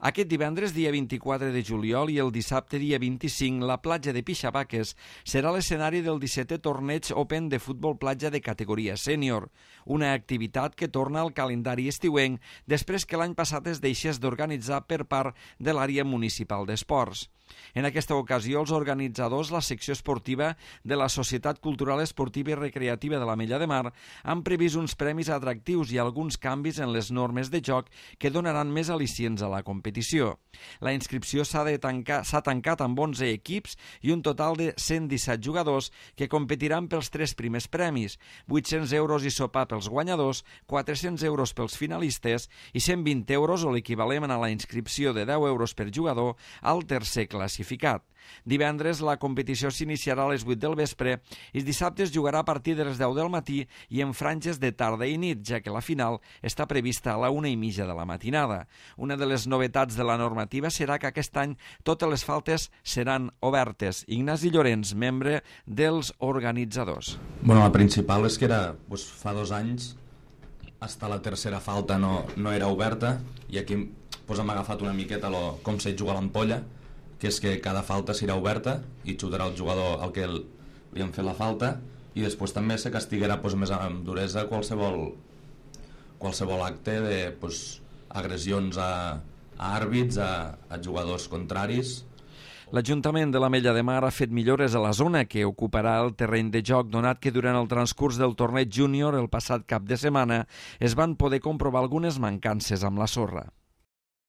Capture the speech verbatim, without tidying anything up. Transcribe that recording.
Aquest divendres, dia vint-i-quatre de juliol, i el dissabte, dia vint-i-cinc, la platja de Pixabaques serà l'escenari del dissetè torneig Open de futbol platja de categoria sènior, una activitat que torna al calendari estiuenc després que l'any passat es deixés d'organitzar per part de l'àrea municipal d'esports. En aquesta ocasió, els organitzadors, la secció esportiva de la Societat Cultural Esportiva i Recreativa de l'Ametlla de Mar, han previst uns premis atractius i alguns canvis en les normes de joc que donaran més al·licients a la competició. La inscripció s'ha de tancar, s'ha tancat amb onze equips i un total de cent disset jugadors que competiran pels tres primers premis, vuit-cents euros i sopar pels guanyadors, quatre-cents euros pels finalistes i cent vint euros o l'equivalent a la inscripció de deu euros per jugador al tercer classificat. Divendres la competició s'iniciarà a les vuit del vespre i dissabte es jugarà a partir de les deu del matí i en franges de tarda i nit, ja que la final està prevista a la una i mitja de la matinada. Una de les novetats de la normativa serà que aquest any totes les faltes seran obertes. Ignasi Llorenç, membre dels organitzadors. Bueno, la principal és que era, doncs, fa dos anys, hasta la tercera falta no, no era oberta, i aquí doncs, hem agafat una miqueta lo, com se juga l'ampolla, que és que cada falta serà oberta i xutarà el jugador al que li han fet la falta, i després també se castiguarà doncs, més amb duresa qualsevol, qualsevol acte de doncs, agressions a, a àrbits, a, a jugadors contraris. L'Ajuntament de l'Ametlla de Mar ha fet millores a la zona que ocuparà el terreny de joc, donat que durant el transcurs del torneig júnior el passat cap de setmana es van poder comprovar algunes mancances amb la sorra.